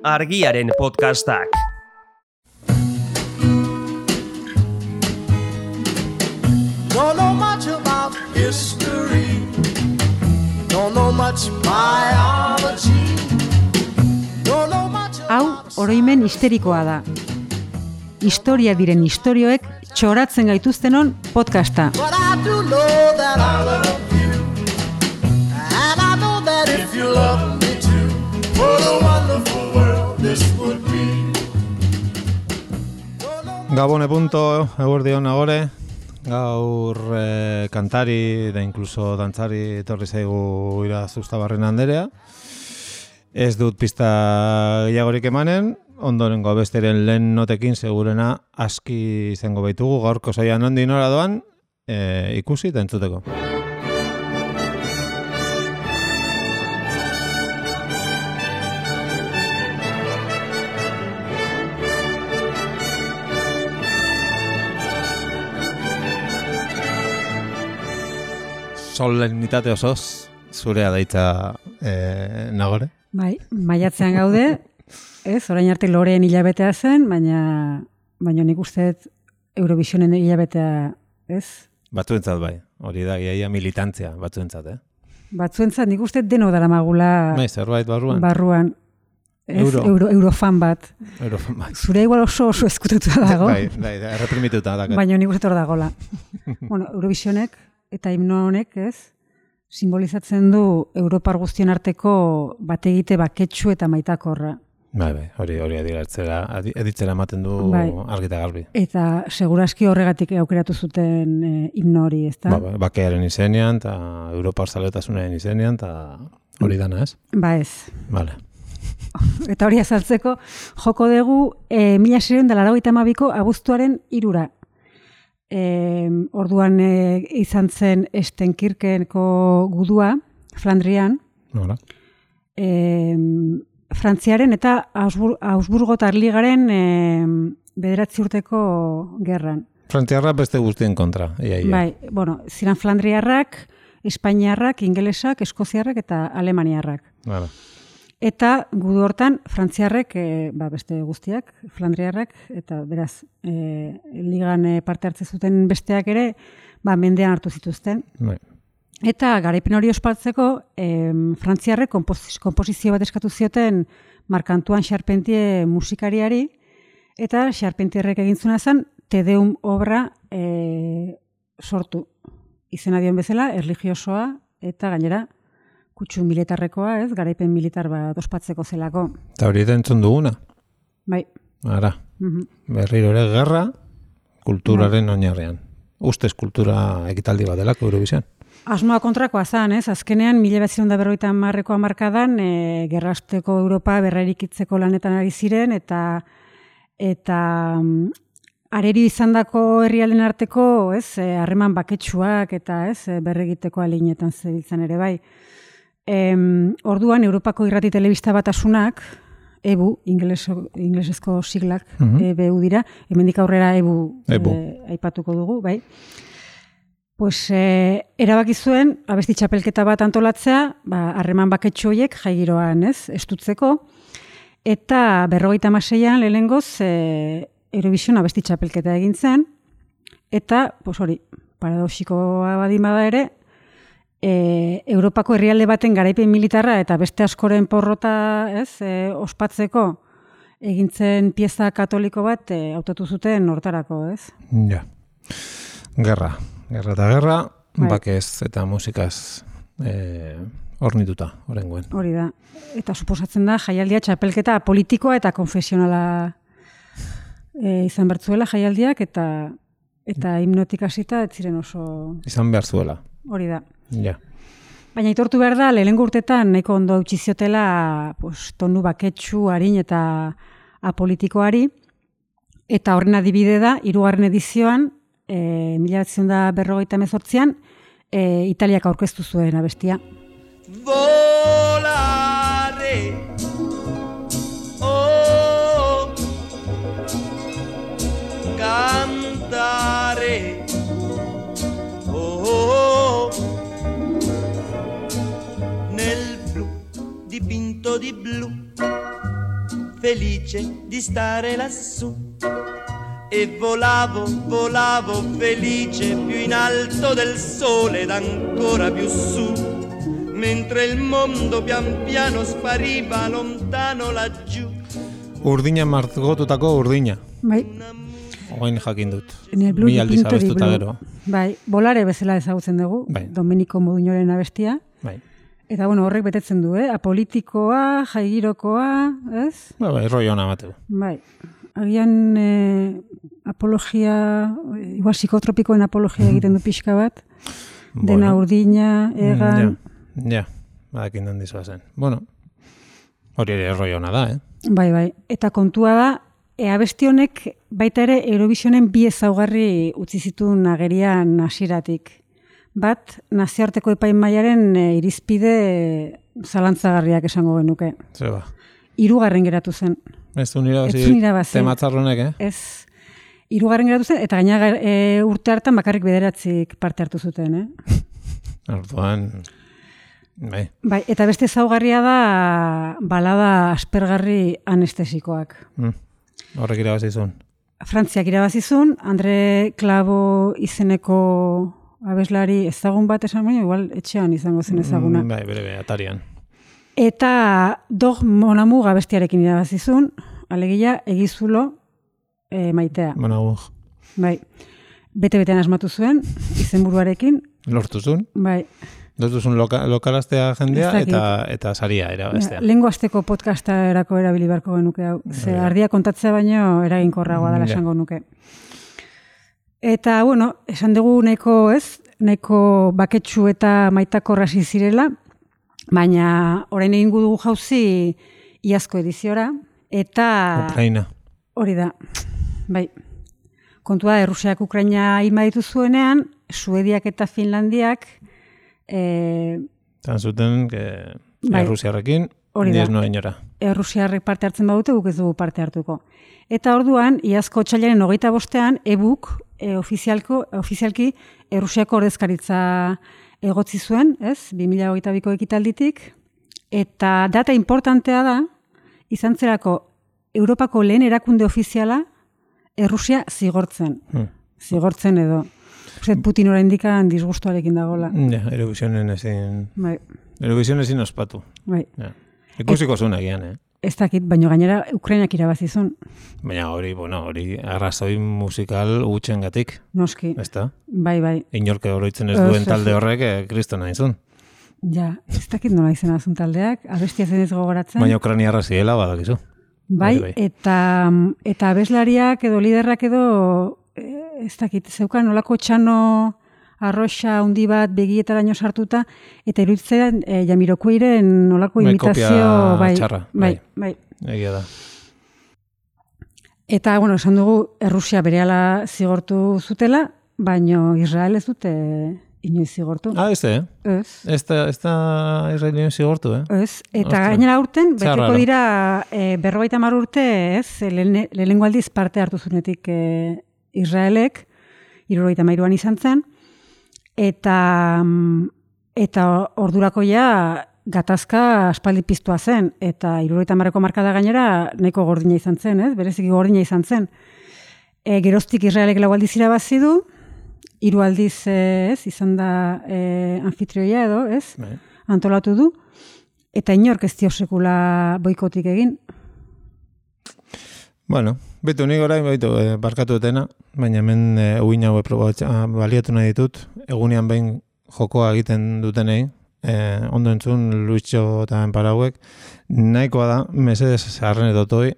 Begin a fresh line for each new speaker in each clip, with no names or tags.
Argiaren podcastak.
Don't know much about history. Don't know much biology. Don't know much.
Hau oroimen histerikoa da. Historia diren istorioek txoratzen gaituztenon podcasta.
But I do know that I love you. And I know that if you love me too, what a wonderful world this would be.
Gabone punto, eguerdion agore. Gaur kantari da incluso dantzari etorri zaigu Ira Zustabarren Anderea. Ez dut pista gehiagorik emanen, ondorengo besteren lehen notekin segurena aski izango baitugu gaurko saioa nondi nora doan ikusi eta entzuteko. Solenitate osoz, zurea daitza nagore?
Bai, maiatzean gaude, ez, orain arte Loreen hilabetea zen, baina nik usteet Eurovisionen hilabetea, ez?
Batzuentzat bai, hori da iaia militantzia, batzuentzat,
Batzuentzat nik usteet denok daramagula
bai, zerbait
barruan. Ez, Eurofan bat.
Eurofan bat.
Zure igual oso eskututua dago.
Bai, erreprimituta dakat.
Baina nik usteet hor dagola. Bueno, Eurovisionek eta himno honek, ez, simbolizatzen du Europar guztion arteko bategite baketsu eta maitakorra.
Bai, hori editzera ematen du argita garbi.
Eta seguraski horregatik aukeratu zuten himno hori, ezta?
Bakearen izenean, eta Europar zaletasunaren izenean, eta hori dana, ez?
Ba ez.
Vale.
Eta hori azaltzeko, joko dugu 1982ko abuztuaren 3. Orduan izan zen Estenkirkenko gudua, Flandrian.
Nola.
Frantziaren eta Augsburgotar Ligaren 9 urteko gerran.
Frantziarrak beste guztien kontra.
Bai, bueno, ziren Flandriarrak, Espainiarrak, Ingelesak, Eskoziarrak eta Alemaniarrak.
Vale.
Eta gudu hortan, frantziarrek, beste guztiak, flandriarrak, eta beraz, ligan parte hartze zuten besteak ere, mendean hartu zituzten.
Bai.
Eta garaipen hori ospatzeko, frantziarrek konposizio bat eskatu zioten Marc Antoine Charpentier musikariari, eta Charpentierrek egintzuna zen, Te Deum obra sortu. Izena dion bezala, erlijiosoa, eta gainera, kutsu militarrekoa, ez, garaipen militar bat ospatzeko zelako.
Eta hori da entzun duguna?
Bai.
Ara, berriro ere gerra, kulturaren oinarrean. Ustez kultura ekitaldi bat delako Eurovision.
Asmoa kontrakoa zan, ez, azkenean 1950ko hamarkadan gerrasteko Europa berraikitzeko lanetan ari ziren, eta areri izandako herrialden arteko, ez, harreman baketsuak eta ez, berregiteko aleinetan zebiltzan ere bai. Orduan, Europako irrati telebista batasunak, EBU, inglesezko siglak, EBU dira, hemendik aurrera EBU. Aipatuko dugu, bai. Pues, erabaki zuen, abesti txapelketa bat antolatzea, harreman baketsu horiek jaigiroan, ez, estutzeko, eta 56an lehenengoz Eurovision abesti txapelketa egin zen, eta, pues hori, paradoxikoa badimada ere, Europako herrialde baten garaipen militarra eta beste askoren porrota, ez, ospatzeko egintzen pieza katoliko bat hautatu zuten hortarako, ez?
Ja. Gerra eta gerra, bakez eta musikaz hornituta, horrengoen.
Hori da. Eta suposatzen da jaialdia txapelketa politikoa eta konfesionala izan bertzuela jaialdiak eta himnotik hasita ez ziren oso
izan behar zuela.
Hori da.
Ja.
Baina aitortu behar da, lehenengo urtetan nahiko ondo eutsi ziotela tonu baketsu, harin eta apolitikoari, eta horren adibide da, 3. edizioan, 1948an, Italiak aurkeztu zuen abestia.
Volare, oh, cantare, oh, nel blu dipinto di blu, felice di stare lassù. E volavo, volavo felice più in alto del sole ed ancora più su, mentre il mondo pian piano spariva lontano laggiù.
Urdina margotutako urdina.
Bai.
Oain jakin dut.
Bi
aldiz abestuta gero.
Bai, bolare bezala ezagutzen dugu,
bai.
Domenico Moduñoren abestia.
Bai.
Eta bueno, horrek betetzen du, apolitikoa, jaigirokoa, ez?
Bai, rollo ona bateu.
Bai. Agian apologia, igual psikotropikoen apologia egiten du pixka bat. Dena urdina, egan.
Ja, badakin handizoa zen. Bueno, hori ere rollo ona da,
Bai. Eta kontua da, abesti honek baita ere Eurovisionen bi ezaugarri utzi zituen agerian hasieratik. Bat, nazioarteko epaimahaiaren irizpide zalantzagarriak esango genuke.
Zeba.
3. geratu zen.
Ez du irabazi tematzarronek,
Ez. 3. geratu zen, eta gaina urte hartan bakarrik 9 parte hartu zuten,
Orduan, bai.
Bai, eta beste ezaugarria da balada aspergarri anestesikoak.
Horrek irabazizun.
Frantziak irabazizun, Andre Clavo izeneko abeslari ezagun bat esan baina, igual etxean izango zen ezaguna.
Bai, bere, atarian.
Eta Dog Mon Amour abestiarekin irabazizun, alegia egizulo maitea.
Mon Amour.
Bai. Bete-betean asmatu zuen, izenburuarekin.
Lortuzun.
Bai.
Lortuzun lokalaztea jendea eta saria erabestea.
Lehengo asteko podcasta erako erabili beharko genuke hau. Ze ardia kontatzea baino eraginkorragoa dela esango nuke. Eta, bueno, esan dugu nahiko baketsu eta maitakorra zirela, baina orain egingo dugu jauzi iazko ediziora, eta...
Ukraina.
Hori da, bai. Kontua, Errusiak Ukraina inbaditu zuenean, Suediak eta Finlandiak...
Zan zuten, Errusiarrekin, diez noa inora.
Errusiarrek parte hartzen badute, guk ez dugu parte hartuko. Eta orduan, iazko otsailaren 25ean, EBUK ofizialki Errusiako ordezkaritza egotzi zuen, 2022ko ekitalditik, eta data importantea da, izan zerako Europako lehen erakunde ofiziala Errusia zigortzen. Zigortzen edo. Putin oraindikan disgustuarekin dagoela.
Ja, Eurovisionen ezin...
Bai.
Eurovision ezin ospatu.
Bai.
Ikusiko zuen egian,
Ez dakit, baina gainera Ukrainak irabazizun.
Baina hori arrazoi musikal gutxengatik.
Noski.
Ezta?
Bai.
Inorke oroitzen ez duen talde horrek kristona izun.
Ja, ez dakit nola izena azun taldeak, abestia zen ez gogoratzen.
Baina Ukrainiarra ziela badakizu.
Bai, eta abeslariak edo liderrak edo, ez dakit, zeukan nolako txano arroxa hundi bat begietaraino sartuta, eta iruditzen Jamiroquairen nolako imitazio...
Kopia txarra.
Bai.
Egia da.
Eta, bueno, esan dugu, Errusia berehala zigortu zutela, baino Israel ez dute inoiz zigortu.
Ez da Israel inoiz zigortu,
Ez, eta gainera urten, beteko dira 50 urte, lehenengo aldiz parte hartu zunetik Israelek, 73an izan zen, eta ordurako ja gatazka aspaldi piztua zen, eta 70ko markada gainera nahiko gordina izan zen, bereziki gordina izan zen. Geroztik Israelek 4 aldiz irabazi du, 3 aldiz izan da anfitrioia edo, antolatu du, eta inork ez dio sekula boikotik egin.
Bueno, bitu nik orain barkatu etena, baina hemen uin hau baliatu nahi ditut, egunean behin jokoa egiten dutenei, ondo entzun Luitxo eta Enparauek, nahikoa da, mesedez harren edotoi,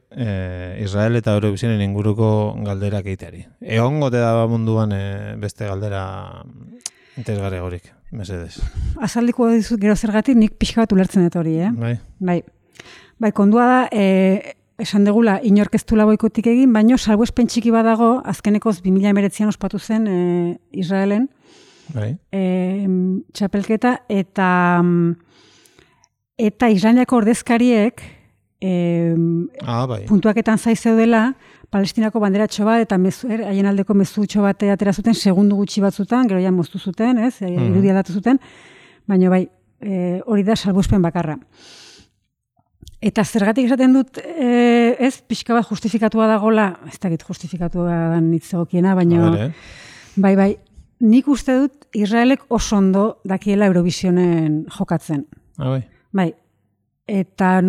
Israel eta Eurovisionen inguruko galderak egiteari. Egongo te da munduan beste galdera interesgarri horik, mesedez.
Azaldiko dizut gero zergatik nik pixka bat ulertzen dut hori, Bai, kondua da, esan degula, inork ez dula boikotik egin, baino salbuespen txiki badago, azkenekoz 2019an ospatu zen Israelen, txapelketa, eta Israeliako ordezkariek puntuaketan zaizeudela Palestinako banderatxo bat eta haien aldeko mezutxo bat atera zuten segundu gutxi batzutan, gero ja moztu zuten, irudia datu zuten, baina bai, hori da salbuespen bakarra. Eta zergatik esaten dut, ez, pixka bat justifikatua dagola, ez dakit justifikatua da nitzegokiena, baina, bai, nik uste dut Israelek oso ondo dakiela Eurovisionen jokatzen. Bai, eta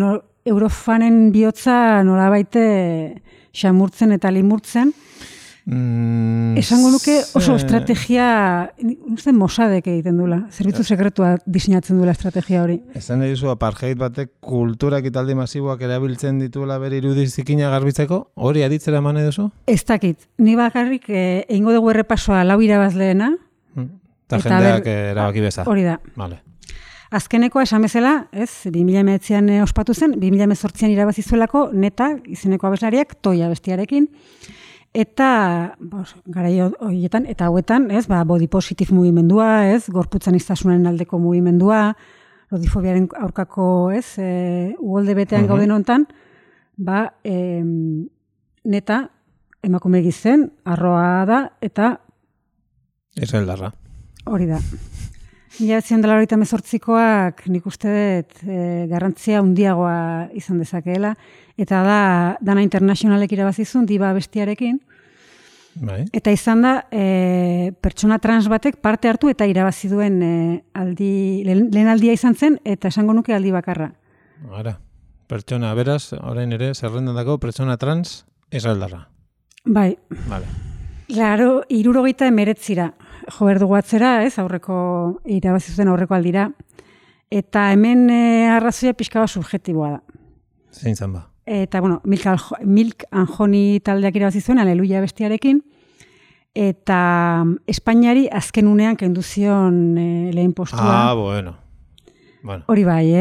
Eurofanen bihotza nolabaite xamurtzen eta limurtzen, esango nuke oso estrategia, uste Mossadek egiten duela, zerbitzu sekretua diseinatzen duela estrategia hori.
Esan dizu, apartheid batek kultura ekitaldi masiboak erabiltzen dituela bere irudizikina garbitzeko, hori aditzera eman duzu?
Ez dakit, ni bakarrik egingo dugu errepasoa 4 irabazleena.
Eta jendeak erabaki beza.
Hori da.
Vale.
Azkenekoa esan bezala, ez, 2019an ospatu zen, 2018an irabazizuelako Neta, izeneko abeslariak, Toia bestiarekin, eta garai horietan, eta hauetan, ez, body positive mugimendua, ez, gorputzan iztasunaren aldeko mugimendua, lodifobiaren aurkako, ez, uholde betean gauden hontan, Neta, emakume gizen, arroa da, eta
Israeldarra.
Hori da. 1998koak nik uste dut garrantzia handiagoa izan dezakeela, eta dana internazionalek irabazizun diba bestiarekin, eta izan da pertsona trans batek parte hartu eta irabazi duen lehen aldia izan zen, eta esango nuke aldi bakarra.
Ara, pertsona, beraz, orain ere, zerrendandako pertsona trans Israeldarra.
Bai.
Vale.
Claro, 79ra jo behar dugu atzera, ez, irabazi zuten aurreko aldira. Eta hemen arrazoia pixka bat subjektiboa da.
Zein zan ba?
Eta, bueno, Milk and Honey taldeak irabazi zuen, Aleluia bestiarekin, eta Espainiari azken unean kendu zion lehen postua.
Bueno.
Hori bai,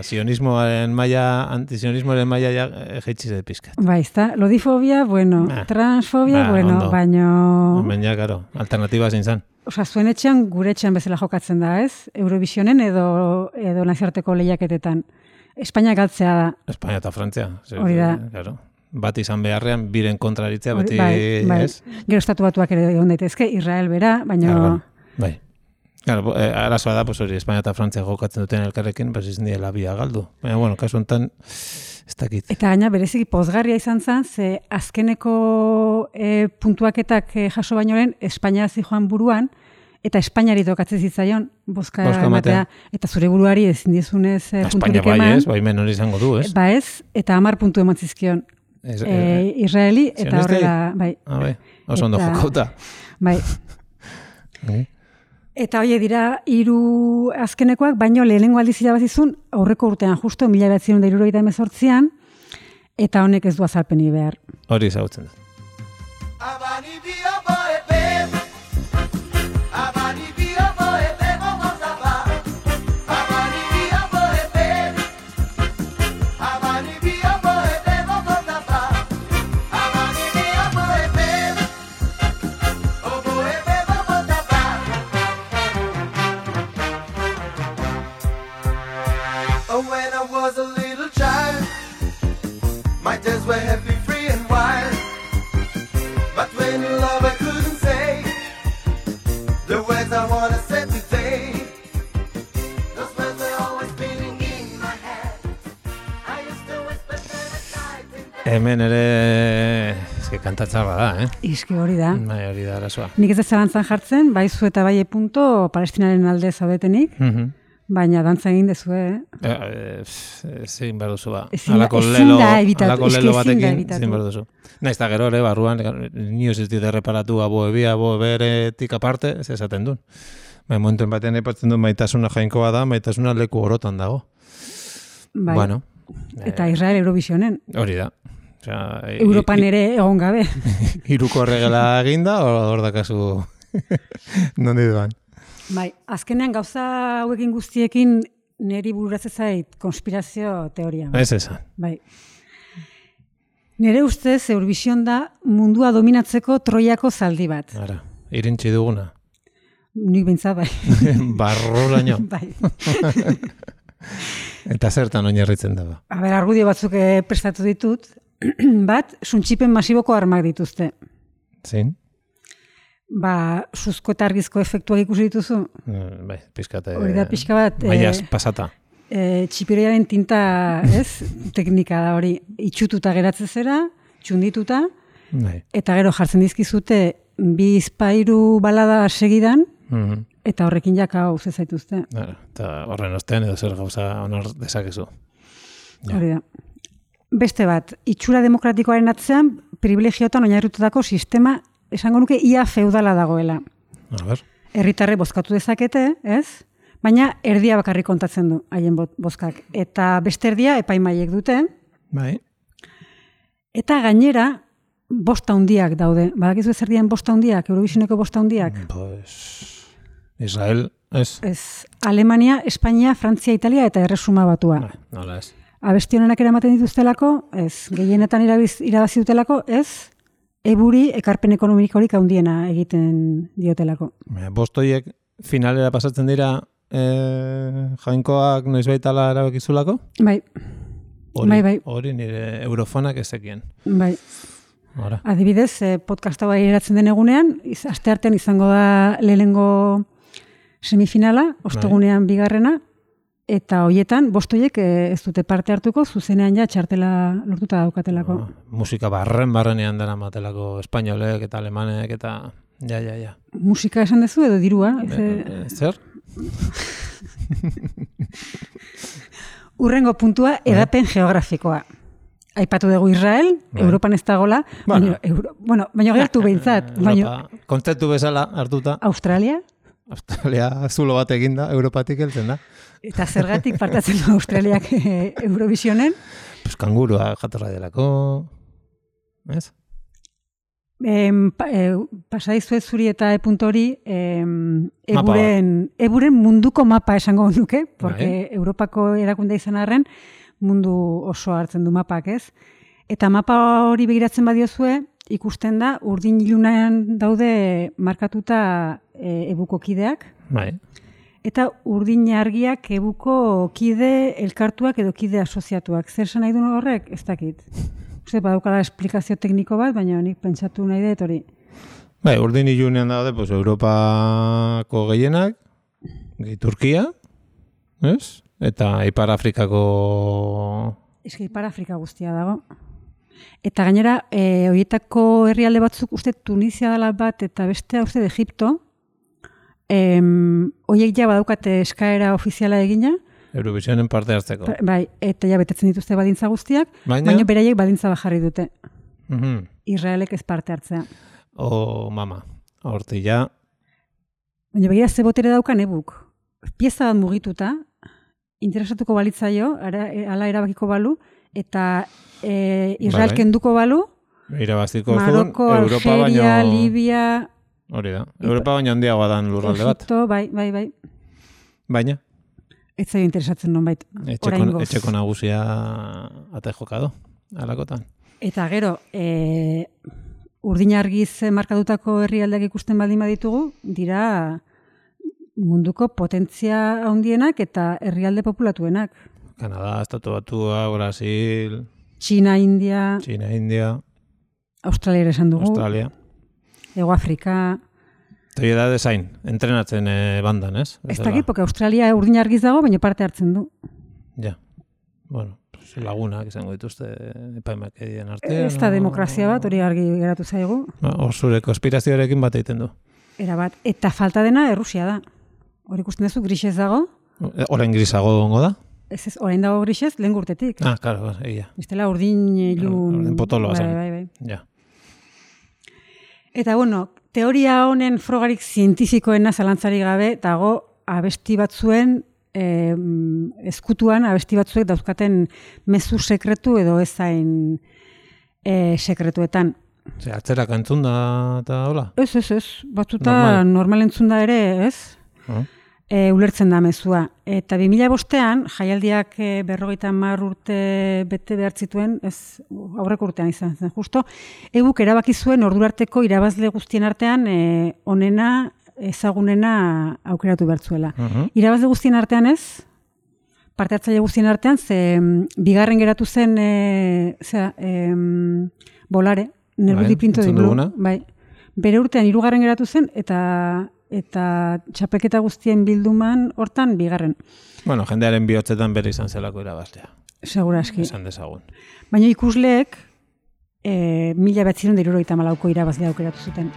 sionismoaren maila, antisionismoaren maila jeitsi zait pizkat.
Bai, ezta, lodifobia, bueno, transfobia, bueno, baino...
Baina, karo, alternatiba zein zan.
Osa, zuen etxean, gure etxean bezala jokatzen da, ez? Eurovisionen edo naziarteko lehiaketetan. Espainia galtzea da.
Espainia eta Frantzia.
Hori da.
Claro. Bat izan beharrean, biren kontraritzea, beti, ez?
Gero estatu batuak ere egon daitezke, Israel bera, baina...
Bai. Claro, arazoa da, pues hori, Espainia eta Frantzia jokatzen duten elkarrekin, pues izan diela bia galdu. Baina, bueno, kasu honetan, ez dakit.
Eta gaina, bereziki pozgarria izan zen, ze azkeneko puntuaketak jaso baino lehen, Espainia zijoan buruan, eta Espainiari tokatzen zitzaion, bozka ematea, eta zure buruari ezin dizunez punturik eman.
Espainia bai ez, bai menor izango du, ez?
Ba ez, eta 10 puntu eman zizkion. Israeli, eta horrela, bai.
Bai, oso ondo jokauta.
Bai. Eta hori dira 3 azkenekoak, baino lehenengo aldiz irabazizun aurreko urtean, justo 1978an, eta honek ez du azalpeni behar.
Hori ezagutzen da.
Were happy, free and wild, but when you love I couldn't say the words I wanna say today. Those words were always spinning in my head. I used to whisper them at night.
Hemen ere eske kantatzarra da,
Iske hori da.
Bai, hori da arazoa.
Nik ez zalantzan jartzen, bai zu eta bai punto Palestinaren alde zaudetenik. Baina dantza egin dezue,
Zein behar duzu ba.
Alako lelo
batekin, zein behar duzu. Naiz da gero ere, barruan, nioz ez dite reparatu aboeberetik aparte, ez esaten duen. Baina momentuen batean epatzen duen maitasuna jainkoa da, maitasuna leku orotan dago.
Bai.
Bueno.
Eta Israel Eurovisionen.
Hori da.
Europan ere egon gabe.
Iruko regela eginda, hor dakazu nondi duan.
Bai, azkenean gauza hauekin guztiekin niri bururatzen zait konspirazio teoria.
Ez esan.
Bai. Nire ustez Eurovision da mundua dominatzeko Troiako zaldi bat.
Ara, irintzi duguna.
Nik bintzat, bai.
Barrolaino.
Bai.
Eta zertan oinarritzen da ba.
A ber, argudio batzuk prestatu ditut. Bat, suntxipen masiboko armak dituzte.
Zein?
Suzko eta argizko efektuak ikusi dituzu?
Bai, pixkate...
Hori da pixka bat...
Maiaz pasata.
txipiroiaren tinta, ez? Teknika da hori, itxututa geratzen zera, txundituta,
Bai.
eta gero jartzen dizkizute 2-3 balada segidan, eta horrekin jaka hau zaituzte.
Eta horren ostean edo zer gauza onor dezakezu.
Hori da. Beste bat, itxura demokratikoaren atzean privilegioetan oinarritutako sistema esango nuke ia feudala dagoela.
A ber.
Herritarre bozkatu dezakete, ez? Baina erdia bakarrik kontatzen du haien bozkak. Eta beste erdia epaimaiek dute.
Bai.
Eta gainera, bost handiak daude. Badakizu ez erdian bost handiak, Eurovisioneko bost handiak?
Pues Israel, ez?
Ez, Alemania, Espainia, Frantzia, Italia eta Erresuma Batua.
Nola ez.
Abesti honenak eramaten dituztelako, ez. Gehienetan irabazi dutelako, ez. Eburi ekarpen ekonomikorik handiena egiten diotelako.
Bostoiek finalera pasatzen dira jainkoak noizbait ala erabakizulako?
Bai. Bai.
Hori nire eurofonak ezekien.
Bai.
Ora.
Adibidez, podcasta bai eratzen den egunean, asteartean izango da lehenengo semifinala, ostegunean bigarrena, eta hoietan, bostoiek ez dute parte hartuko, zuzenean ja txartela lortuta daukatelako.
Musika barrenean dara matelako espainolek eta alemanek eta ja.
Musika esan dezu edo dirua?
Zer?
Urrengo puntua, edapen geografikoa. Aipatu dugu Israel, Europan ez dagola, baina gertu behintzat.
Kontzeptu bezala hartuta.
Australia
zulo bat eginda, Europatik heltzen da.
Eta zergatik partatzen du Australiak Eurovisionen?
Pues kangurua jatorra delako, ez?
Pasadizuet zuri eta hori eburen munduko mapa esango nuke, porque Europako erakunde izan arren mundu oso hartzen du mapak, ez? Eta mapa hori begiratzen badiozue, ikusten da urdin ilunean daude markatuta ebuko kideak.
Bai.
Eta urdin argiak ebuko kide elkartuak edo kide asoziatuak. Zer esan nahi du horrek? Ez dakit. Uste, badaukala esplikazio tekniko bat, baina nik pentsatu nahi dut hori.
Bai, urdin ilunean daude, pues, Europako gehienak, Turkia, ez? Eta Ipar Afrikako...
Ez Ipar Afrika guztia dago. Eta gainera, horietako herrialde batzuk, uste Tunisia dela bat, eta bestea uste de Egipto, horiek ja badaukate eskaera ofiziala egina.
Eurovisionen parte hartzeko.
Bai, eta ja betetzen dituzte badintza guztiak, baina beraiek badintza bajarri dute. Israelek ez parte hartzea.
Mama, horti ja.
Baina begira ze botere daukan ebuk. Pieza bat mugituta, interesatuko balitzaio, ala erabakiko balu, eta Israel kenduko balu, Maroko, Algeria, Libia...
Hori da, Europa baina handiagoa dan lurralde bat.
Egipto, bai.
Baina?
Ez zaio interesatzen nonbait, oraingoz.
Etxeko nagusia ate jokado, alakotan.
Eta gero, urdin argiz markatutako herrialdeak ikusten baldin baditugu, dira munduko potentzia handienak eta herrialde populatuenak.
Kanada, Estatu Batua, Brasil...
China, India... Australia esan dugu. Ego Afrika...
Toi da desain, entrenatzen bandan, ez?
Ez dakit, porque Australia urdin argiz dago, baina parte hartzen du.
Ja, bueno, lagunak izango dituzte epaimak edien artean.
Ez da demokrazia bat, hori argi geratu zaigu.
Zure konspirazioarekin bat egiten du.
Era bat, eta falta dena Errusia da. Hori ikusten duzu, grisez dago.
Orain grisago dongo da?
Ez, orain dago grisez, lehen gurtetik.
Claro, egia.
Estela urdin ilun...
Urdin potoloa zen.
Bai.
Ja.
Eta, bueno, teoria honen frogarik zientifikoena zalantzari gabe, dago abesti batzuen, ezkutuan abesti batzuek dauzkaten mezu sekretu edo ezain sekretuetan.
Atzerak entzun da eta hola?
Ez. Batzuta normal entzun da ere, ez? Ulertzen da mezua. Eta 2005an, jaialdiak 50 urte bete behar zituen, ez aurreko urtean izan zen, justo, ebuk erabaki zuen ordurarteko irabazle guztien artean onena, ezagunena aukeratu behar zuela. Irabazle guztien artean ez, parte hartzaile guztien artean, ze bigarren geratu zen Bolare, Nerbudi Pinto di Blu. Bai. Bere urtean 3. geratu zen, eta eta txapelketa guztien bilduman hortan bigarren.
Bueno, jendearen bihotzetan bere izan zelako irabazlea.
Seguraski.
Esan dezagun.
Baina ikusleek 1974ko irabazlea aukeratu zuten.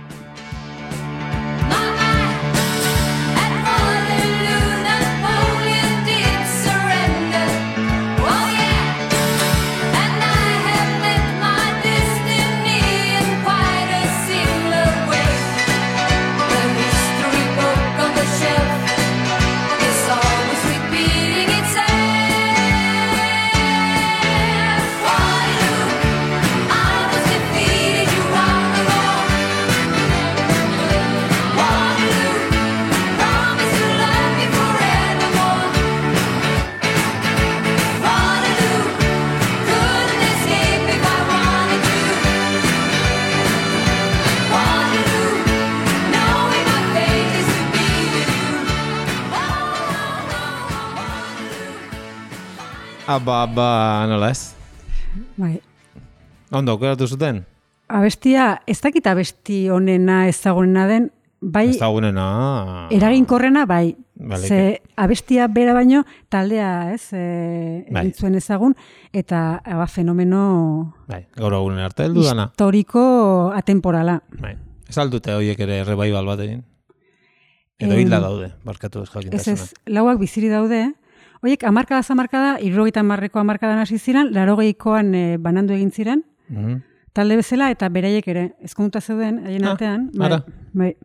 Nola ez?
Bai.
Ondo, aukeratu zuten?
Abestia, ez dakit abesti honena ezagunena den, bai
Ezagunena...
eraginkorrena, bai.
Baleke.
Ze abestia bera baino taldea, ez,
Bai.
egin zuen ezagun, eta fenomeno
Bai, gaur egunen arte heldu dana.
historiko atemporala.
Bai. Ez aldute horiek ere revival bat egin? Edo hilda daude, barkatu ez
Ez
jakintasuna.
ez, lauak biziri daude, horiek amarkada, 70ko hamarkadan hasi ziren, 80koan banandu egin ziren,
Mhm.
talde bezala, eta beraiek ere, ezkonduta zeuden, haien artean,
ara.
bai,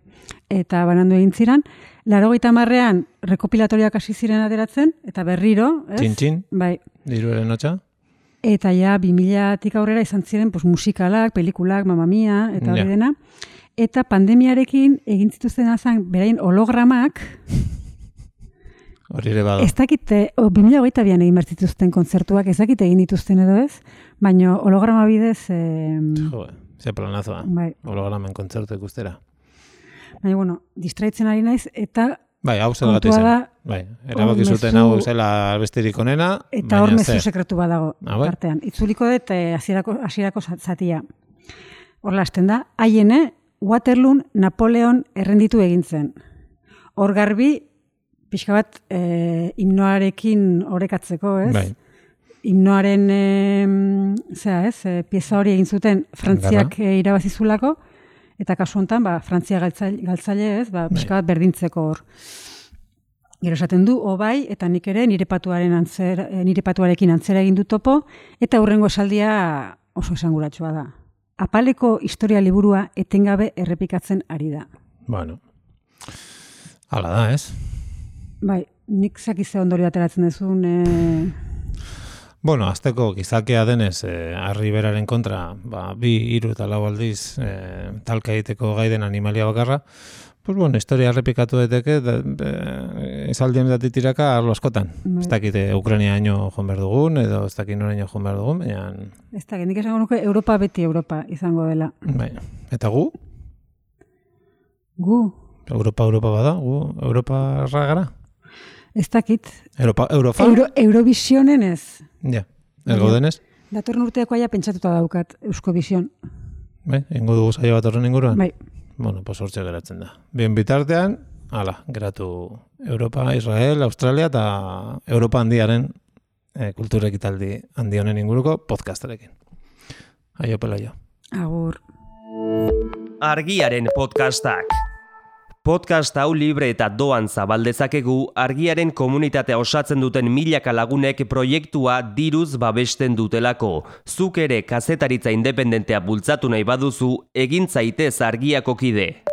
eta banandu egin ziren, 80ean rekopilatoriak hasi ziren ateratzen, eta berriro, ez?
Txin-txin,
Bai,
diruaren hotxa.
eta ja 2000tik aurrera izan ziren pues, musikalak, pelikulak, Mamma Mia, eta hori
Ja.
dena. Eta pandemiarekin egin zituzten azan beraien hologramak,
Hori ere bada.
ez dakite, 2022an egin behar zituzten kontzertuak, ez dakite egin dituzten edo ez, baina holograma bidez,
Jo, ze planazoa.
bai,
Hologramen kontzertu ikustera.
baina bueno, distraitzen ari naiz, eta
Bai, hau zergatik
kontua
zen.
da,
Bai, erabaki
mezu-
zuten hau zela albesterik onena,
eta hor
baina
mezu
zer?
sekretu badago
Ah, bai?
tartean. Itzuliko dut hasierako zatia. Horla hasten da, haiene Waterloon Napoleon errenditu egin zen. Hor garbi, pixka bat himnoarekin orekatzeko, ez?
Bai.
Himnoaren pieza hori egin zuten Frantziak irabazizulako, eta kasu honetan, Frantzia galtzaile, ez? Pixka bat berdintzeko hor. Gero esaten du, bai, eta nik ere nire patuarekin antzera egin du topo, eta hurrengo esaldia oso esanguratsua da. Apaleko historia liburua etengabe errepikatzen ari da.
Bueno, hala da, ez?
Bai, nik zakize ondorio ateratzen duzun,
Bueno, azteko gizakea denez, harri beraren kontra, 2, 3 eta 4 aldiz talka egiteko gaiden animalia bakarra, pues bueno, historia errepikatu daiteke, esaldien datitiraka arlo askotan.
Bai.
Ez dakite Ukrainiaino joan behar dugun, edo ez dakit noraino joan behar dugun, baina...
ez da, nik esango nuke Europa beti Europa izango dela.
Bai. Eta gu?
Gu,
Europa bada? Gu Europarra gara?
ez dakit,
Eurofa?
Eurovisionen ez.
Ja, ez gaudenez?
Datorren urteako aia pentsatuta daukat Euskovision.
Bai, ingo dugu saio bat horren inguruan?
Bai,
Bueno, pues hortxe geratzen da. Bien bitartean, geratu Europa, Israel, Australia eta Europa handiaren kultura ekitaldi handi honen inguruko podcastarekin. Aio pelaio.
agur.
Argiaren podcastak. Podcast hau libre eta doan zabaldezakegu argiaren komunitatea osatzen duten milaka lagunek proiektua diruz babesten dutelako. Zuk ere kazetaritza independentea bultzatu nahi baduzu, egin zaitez argiako kide.